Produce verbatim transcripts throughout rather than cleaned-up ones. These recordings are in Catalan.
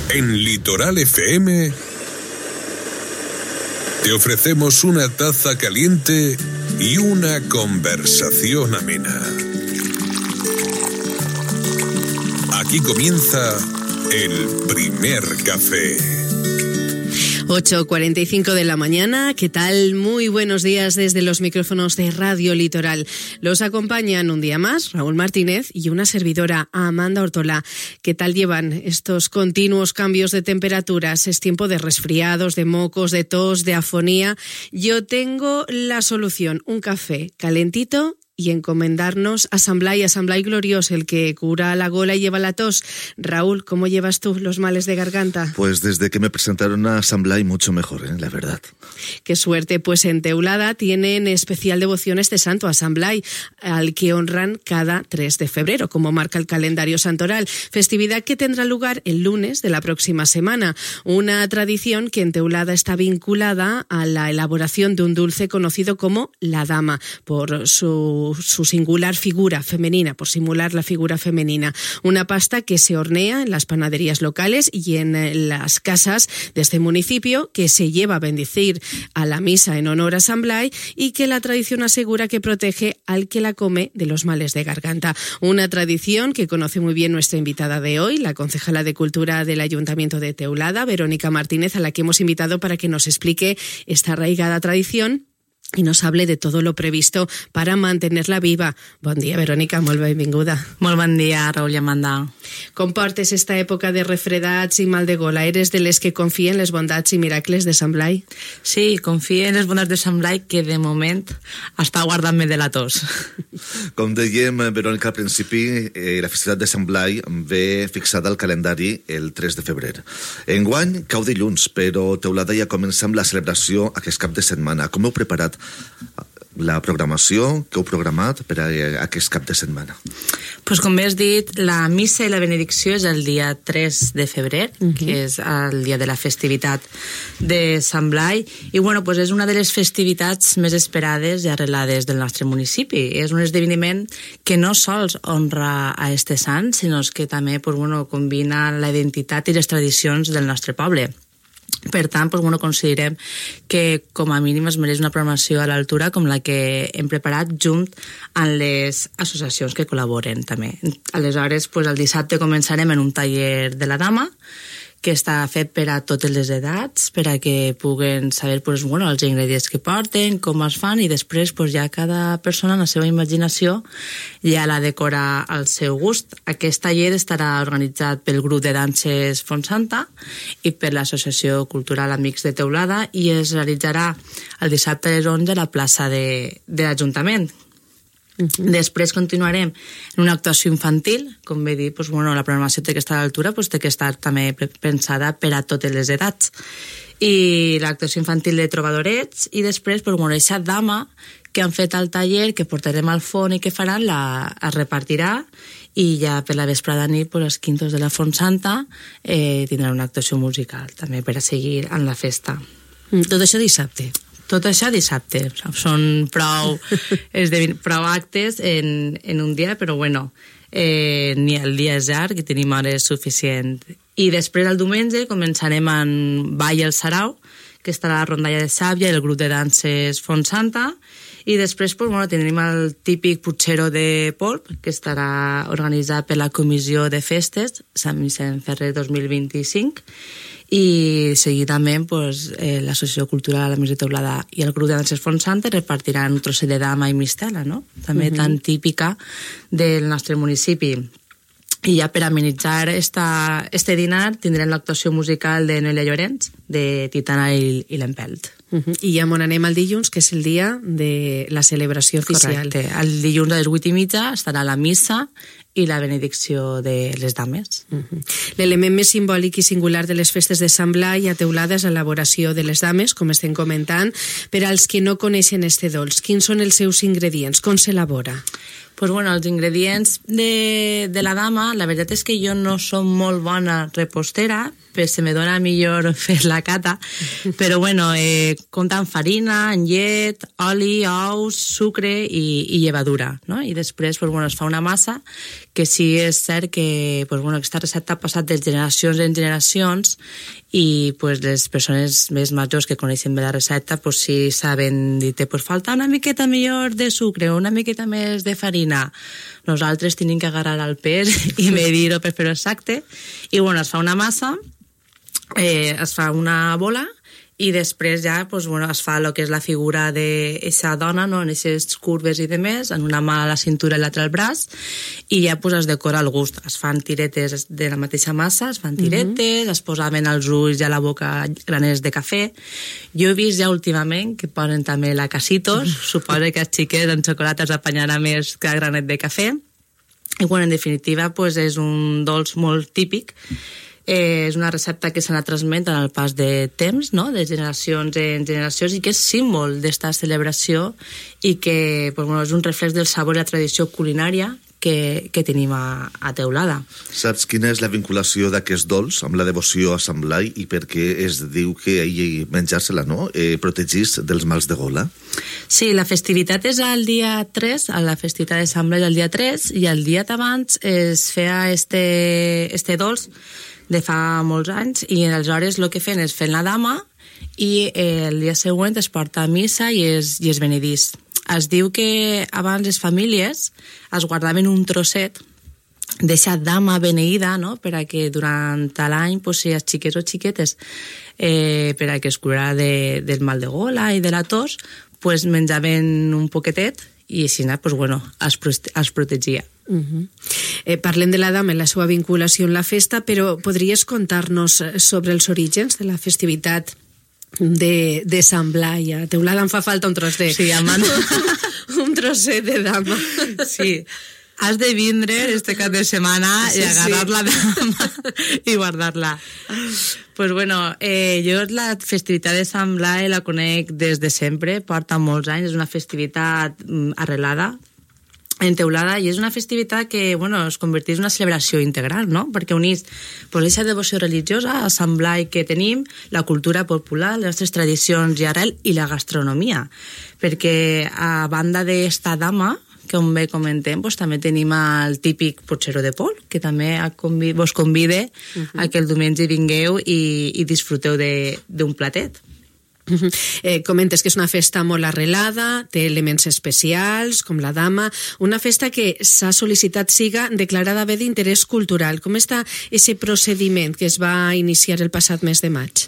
En Litoral F M te ofrecemos una taza caliente y una conversación amena. Aquí comienza el primer café. ocho cuarenta y cinco de la mañana, ¿qué tal? Muy buenos días desde los micrófonos de Radio Litoral. Los acompañan un día más Raúl Martínez y una servidora, Amanda Ortola. ¿Qué tal llevan estos continuos cambios de temperaturas? Es tiempo de resfriados, de mocos, de tos, de afonía. Yo tengo la solución, un café calentito y encomendarnos a San Blai, a San Blai Gloriós, el que cura la gola y lleva la tos. Raúl, ¿cómo llevas tú los males de garganta? Pues desde que me presentaron a San Blai mucho mejor, ¿eh? La verdad. Qué suerte, pues en Teulada tienen especial devoción este santo, a San Blai, al que honran cada tres de febrero, como marca el calendario santoral. Festividad que tendrá lugar el lunes de la próxima semana. Una tradición que en Teulada está vinculada a la elaboración de un dulce conocido como la dama, por su su singular figura femenina, por simular la figura femenina. Una pasta que se hornea en las panaderías locales y en las casas de este municipio, que se lleva a bendecir a la misa en honor a San Blai y que la tradición asegura que protege al que la come de los males de garganta. Una tradición que conoce muy bien nuestra invitada de hoy, la concejala de Cultura del Ayuntamiento de Teulada, Verónica Martínez, a la que hemos invitado para que nos explique esta arraigada tradición i nos hable de todo lo previsto para mantenerla viva. Bon dia, Verónica, molt benvinguda. Molt bon dia, Raúl i Amanda. Com portes esta època de refredats i mal de gola? Eres de les que confien en les bondats i miracles de Sant Blai? Sí, confio en les bondats de Sant Blai, que de moment està guardant-me de la tos. Com dèiem, Verónica, al principi, eh, la festivitat de Sant Blai ve fixada al calendari el tres de febrer. Enguany cau dilluns, però Teulada ja comença amb la celebració aquest cap de setmana. Com heu preparat la programació que heu programat per a aquest cap de setmana? Pues com bé has dit, la missa i la benedicció és el dia tres de febrer, uh-huh. que és el dia de la festivitat de Sant Blai, i bueno, pues és una de les festivitats més esperades i arrelades del nostre municipi. És un esdeveniment que no sols honra a este sant, sinó que també pues, bueno, combina la identitat i les tradicions del nostre poble. Per tant, doncs, bueno, considerem que com a mínim es mereix una programació a l'altura com la que hem preparat junt amb les associacions que col·laboren també. Aleshores, doncs, el dissabte començarem en un taller de la dama que està fet per a totes les edats, per a que puguen saber doncs, bueno, els ingredients que porten, com es fan, i després doncs, ja cada persona, en la seva imaginació, ja la decora al seu gust. Aquest taller estarà organitzat pel grup de danses Fontsanta i per l'Associació Cultural Amics de Teulada i es realitzarà el dissabte a les onze a la plaça de, de l'Ajuntament. Uh-huh. Després continuarem en una actuació infantil, com bé dir, doncs, bueno, la programació té que estar a l'altura, doncs, té que estar també pensada per a totes les edats. I l'actuació infantil de trobadorets i després, doncs, bueno, aquesta dama que han fet al taller, que portarem al font i que faran, la, es repartirà i ja per la vesprada nit, doncs, els quintos de la Fontsanta eh, tindran una actuació musical també per a seguir en la festa. Tot això dissabte? Tot això dissabte. Són prou, prou actes en, en un dia, però bueno, eh, ni el dia és llarg i tenim hores suficient. I després el diumenge començarem amb Ball al Sarau, que estarà la rondalla de Sàvia i el grup de danses Fontsanta, i després pues, bueno, tindrem el típic Putxero de Polp, que estarà organitzat per la Comissió de Festes Sant Vicent Ferrer dos mil vint-i-cinc, i seguidament pues, eh, l'Associació Cultural Amics de Teulada i el grup de danses Fontsanta repartiran un trosset de dama i mistela, no? També uh-huh. tan típica del nostre municipi. I ja per amenitzar esta, este dinar tindrem l'actuació musical de Noelia Llorenç, de Titana i, i l'Empelt. Uh-huh. I ja on anem el dilluns, que és el dia de la celebració oficial. Correcte. El dilluns a les vuit i mitja estarà la missa i la benedicció de les dames. Uh-huh. L'element més simbòlic i singular de les festes de Sant Blai a Teulada és l'elaboració de les dames, com estem comentant. Per als que no coneixen este dolç, quins són els seus ingredients? Com s'elabora? Pues bueno, els ingredients de, de la dama, la veritat és que jo no som molt bona repostera, però se me dona millor fer-la cata, però bueno, eh, compta amb farina, amb llet, oli, ous, sucre i, i llevadura, no? I després pues, bueno, es fa una massa que sí és cert que pues, bueno, aquesta recepta ha passat de generacions en generacions i pues, les persones més majors que coneixen bé la recepta pues, sí saben dir, pues, falta una miqueta millor de sucre o una miqueta més de farina. Nosaltres tenim que agarrar el pes i medir-ho per fer-ho exacte. I bueno, es fa una massa, eh, es fa una bola i després ja pues, bueno, es fa el que és la figura d'aquesta dona, no? En aquestes curves i demés, en una mà a la cintura i l'altra al braç, i ja pues, es decora al gust. Es fan tiretes de la mateixa massa, es fan tiretes, uh-huh. es posaven als ulls i a la boca graners de cafè. Jo he vist ja últimament que ponen també la casitos, uh-huh. suposo que els xiquets en xocolata els apanyarà més que granet de cafè. I bueno, en definitiva pues, és un dolç molt típic. Eh, és una recepta que s'ha anat transmetent en el pas de temps, no? De generacions en generacions, i que és símbol d'esta celebració i que pues, bueno, és un reflex del sabor i la tradició culinària que, que tenim a, a Teulada. Saps quina és la vinculació d'aquest dolç amb la devoció a Sant Blai i per què es diu que ell menjar-se-la, no? Eh, protegís dels mals de gola? Sí, la festivitat és el dia tres, a la festivitat de Sant Blai el dia tres, i el dia d'abans es feia este, este dolç de fa molts anys, i aleshores el que feien és fer la dama i eh, el dia següent es porta a missa i es, i es benedís. Es diu que abans les famílies es guardaven un trosset d'eixa dama beneïda, no? Per a que durant l'any, pues, si els xiquets o xiquetes, eh, per a que es curarà de, del mal de gola i de la tos, pues, menjaven un poquetet i així pues, bueno, es, es protegia. Uh-huh. eh, parlem de la dama i la seva vinculació en la festa, però podries contar-nos sobre els orígens de la festivitat de, de Sant Blai? A Teulada em fa falta un tros de... Sí, amant. un trosset de dama. Sí. Has de vindre este cap de setmana sí, i agarrar sí. la dama i guardar-la. Pues bueno, eh, jo la festivitat de Sant Blai la conec des de sempre, porta molts anys, és una festivitat arrelada en Teulada, i és una festivitat que, bueno, es converteix en una celebració integral, no? Perquè unís pues, aquesta devoció religiosa a Sant Blai que tenim, la cultura popular, les nostres tradicions i arrel, i la gastronomia. Perquè a banda d'esta dama, que com bé comentem, pues, també tenim el típic potxero de pol, que també convi vos convide uh-huh. a que el diumenge vingueu i, i disfruteu d'un platet. Uh-huh. Eh, comentes que és una festa molt arrelada, té elements especials, com la dama, una festa que s'ha sol·licitat siga declarada bé d'interès cultural. Com està aquest procediment que es va iniciar el passat mes de maig?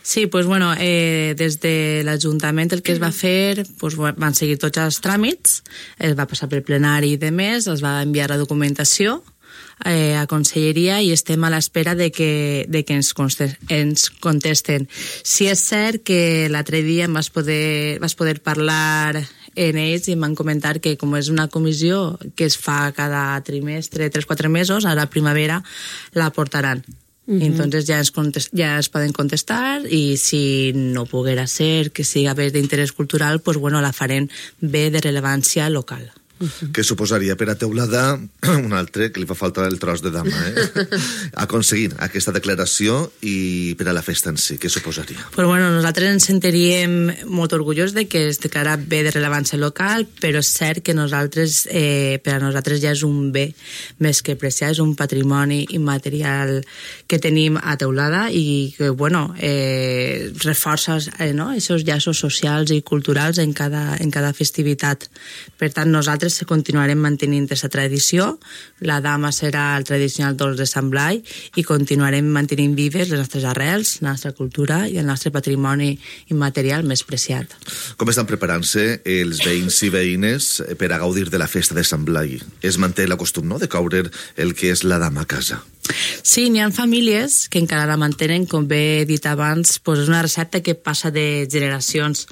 Sí, pues bueno, eh, des de l'Ajuntament el que es va fer, pues, van seguir tots els tràmits, es va passar per plenari i demés, es va enviar la documentació eh, a Conselleria i estem a l'espera de que, de que ens, ens contesten. Sí és cert que l'altre dia em vas poder, vas poder parlar en ells i em van comentar que com és una comissió que es fa cada trimestre, tres o quatre mesos, a la primavera la portaran. Uh-huh. Entonces ja es, contest, ja es poden contestar i si no poguera ser que siga bé d'interès cultural, pues bueno, la farem bé de rellevància local. Uh-huh. Que suposaria per a Teulada un altre, que li fa falta el tros de dama, eh? aconseguir aquesta declaració i per a la festa en si, què suposaria? Pues bueno, nosaltres ens sentiríem molt orgullosos de que es declara bé de rellevància local, però és cert que nosaltres, eh, per a nosaltres ja és un bé més que preciat, és un patrimoni immaterial que tenim a Teulada i que, bueno, eh, reforça eh, no? aquests llaços socials i culturals en cada, en cada festivitat. Per tant, nosaltres continuarem mantenint aquesta tradició, la dama serà el tradicional dolç de Sant Blai i continuarem mantenint vives les nostres arrels, la nostra cultura i el nostre patrimoni immaterial més preciat. Com estan preparant-se els veïns i veïnes per a gaudir de la festa de Sant Blai? Es manté la costum, no?, de caure el que és la dama a casa. Sí, n'hi ha famílies que encara la mantenen, com bé he dit abans, pues és una recepta que passa de generacions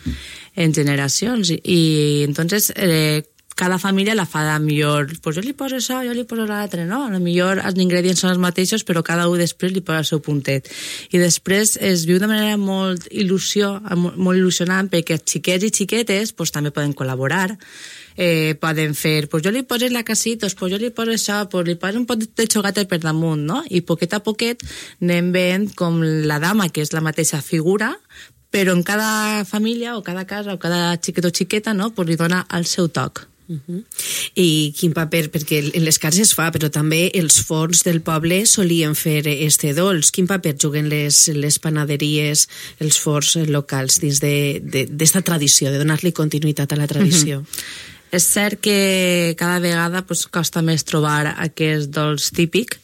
en generacions i entonces eh, cada família la fa de millor, pues jo li poso això, jo li poso l'altre, no? A lo millor els ingredients són els mateixos, però cada un després li posa el seu puntet. I després es viu de manera molt il·lusió, molt il·lusionant, perquè els xiquets i xiquetes pues, també poden col·laborar, eh, poden fer, pues jo li poso la casitos, pues jo li poso això, pues li poso un pot de xogata per damunt, no? I poquet a poquet anem veient com la dama, que és la mateixa figura, però en cada família o cada casa o cada xiquet o xiqueta, no? Pues li dona el seu toc. Uh-huh. I quin paper, perquè en les cases es fa, però també els forns del poble solien fer este dolç. Quin paper juguen les, les panaderies, els forns locals dins d'esta tradició, de donar-li continuïtat a la tradició? Uh-huh. És cert que cada vegada pues, costa més trobar aquest dolç típic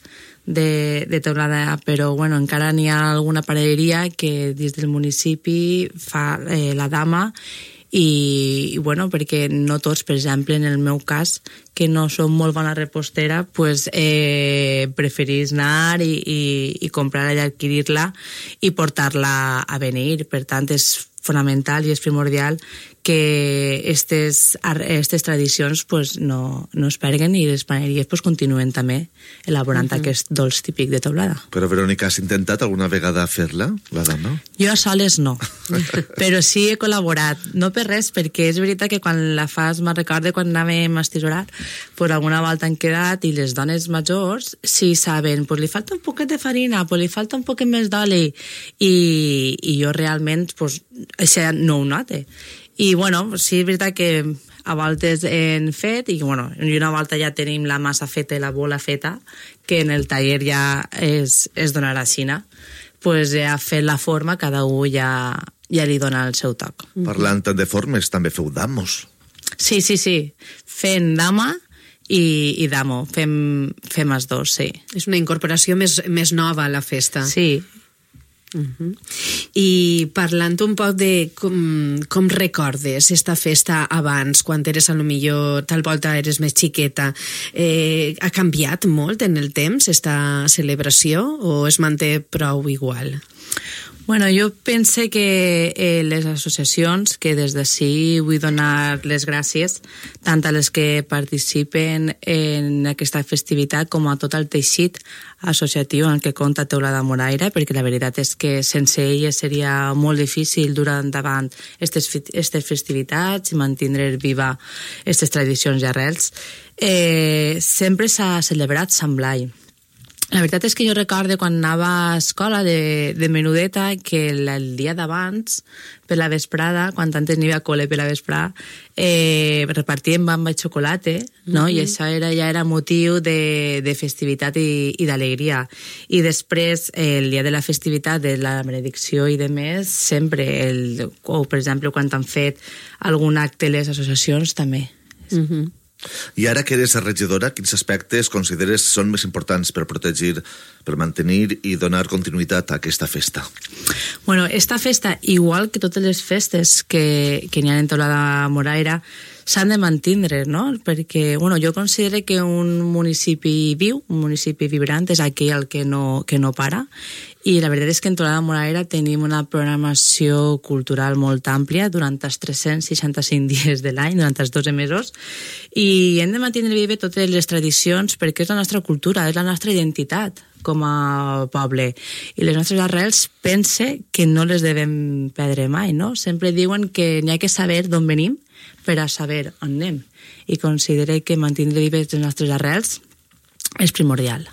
de, de Teulada, però bueno, encara n'hi ha alguna panaderia que des del municipi fa eh, la dama. I, i bueno, perquè no tots, per exemple, en el meu cas, que no som molt bona repostera, pues, eh, preferís anar i, i, i comprar-la i adquirir-la i portar-la a beneir. Per tant, és fonamental i és primordial que aquestes aquestes tradicions pues, no, no es perguen i les paneries pues, continuen també elaborant uh-huh. aquest dolç típic de Teulada. Però, Verònica, has intentat alguna vegada fer-la, la dama? Jo a soles no, però sí he col·laborat. No per res, perquè és veritat que quan la fas, me'n recordo quan anàvem a estisorar, pues, alguna volta han quedat i les dones majors sí saben, pues, li falta un poquet de farina, pues, li falta un poquet més d'oli, i, i jo realment pues, això no ho note. I, bueno, sí, és veritat que a voltes hem fet, i, bueno, i una volta ja tenim la massa feta i la bola feta, que en el taller ja es, es donarà a Xina. Pues ja fet la forma, cada un ja, ja li dona el seu toc. Parlant de formes, també feu damos. Sí, sí, sí. Fem dama i, i damo. Fem, fem els dos, sí. És una incorporació més, més nova a la festa. Sí. Uh-huh. I parlant un poc de com, com recordes esta festa abans, quan eres a lo millor tal volta eres més xiqueta, eh, ha canviat molt en el temps esta celebració o es manté prou igual? Bueno, jo pense que eh, les associacions, que des d'ací vull donar les gràcies tant a les que participen en aquesta festivitat com a tot el teixit associatiu en què compta Teulada Moraira, perquè la veritat és que sense elles seria molt difícil dur endavant aquestes festivitats i mantenir viva aquestes tradicions i arrels. Eh, sempre s'ha celebrat Sant Blai. La veritat és que jo recordo quan anava a escola de, de menudeta que el, el dia d'abans, per la vesprada, quan antes n'hi havia col·le per la vesprada, eh, repartíem bamba i xocolata, no? Mm-hmm. I això era, ja era motiu de, de festivitat i, i d'alegria. I després, eh, el dia de la festivitat, de la benedicció i de més, sempre, el, o per exemple, quan han fet algun acte les associacions, també. Mm-hmm. I ara que eres regidora, quins aspectes consideres són més importants per protegir, per mantenir i donar continuïtat a aquesta festa? Bueno, esta festa, igual que totes les festes que, que n'hi ha en Teulada Moraira, s'han de mantindre, no? Perquè, bueno, jo considero que un municipi viu, un municipi vibrant, és aquell que no, que no para, i la veritat és que en Teulada Moraira tenim una programació cultural molt àmplia durant els tres-cents seixanta-cinc dies de l'any, durant els dotze mesos, i hem de mantenir vive totes les tradicions perquè és la nostra cultura, és la nostra identitat com a poble. I les nostres arrels pense que no les devem perdre mai, no? Sempre diuen que n'hi ha que saber d'on venim per a saber on anem. I considero que mantenir vives les nostres arrels és primordial.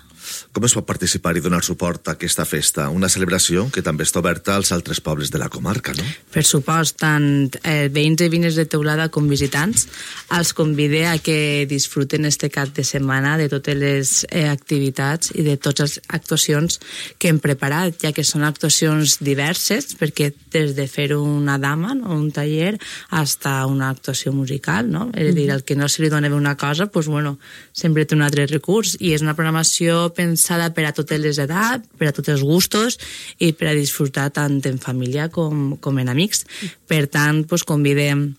Com es pot participar i donar suport a aquesta festa? Una celebració que també està oberta als altres pobles de la comarca, no? Per supost, tant eh, veïns i veïnes de Teulada com visitants, els convide a que disfruten este cap de setmana de totes les eh, activitats i de totes les actuacions que hem preparat, ja que són actuacions diverses, perquè des de fer una dama, no? Un taller, hasta una actuació musical, no? És a dir, el que no se li dona bé una cosa, pues, bueno, sempre té un altre recurs, i és una programació pensada per a totes les edats, per a tots els gustos i per a disfrutar tant en família com, com en amics. Per tant, pues, convidem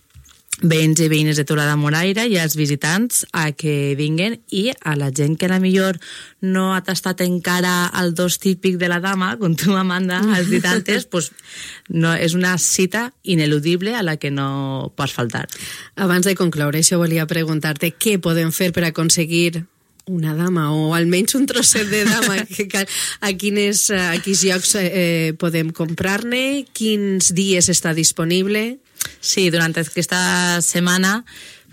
veïns i veïnes de Teulada Moraira i als visitants a que vinguen, i a la gent que a la millor no ha tastat encara el dos típic de la dama, com tu, Amanda, has dit antes, pues, no, és una cita ineludible a la que no pots faltar. Abans de concloure, això volia preguntar-te què podem fer per aconseguir una dama, o almenys un trosset de dama, a quines, a quins llocs eh, podem comprar-ne, quins dies està disponible? Sí, durant aquesta setmana,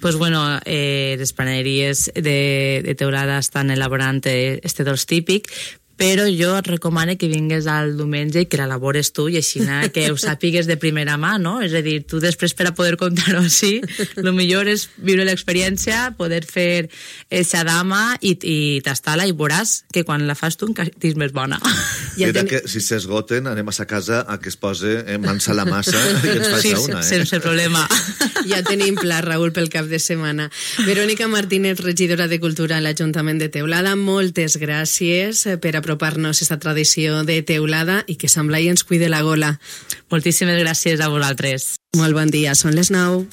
pues bueno, eh, les panaderies de, de Teulada estan elaborant este dolç típic, però jo et recomano que vingues al diumenge i que l'elabores tu, i així que ho sàpigues de primera mà, no? És a dir, tu després, per a poder contar-ho així, el millor és viure l'experiència, poder fer eixa dama i, i tastar-la, i veuràs que quan la fas tu encara és més bona. Ja Mira ten... que si s'esgoten anem a sa casa a que es posa en mans a la massa i ens faci sí, una. Eh? Sense problema. Ja tenim pla, Raül, pel cap de setmana. Verònica Martínez, regidora de Cultura a l'Ajuntament de Teulada, moltes gràcies per apropar-nos a aquesta tradició de Teulada i que Sant Blai ens cuide la gola. Moltíssimes gràcies a vosaltres. Molt bon dia, són les nou.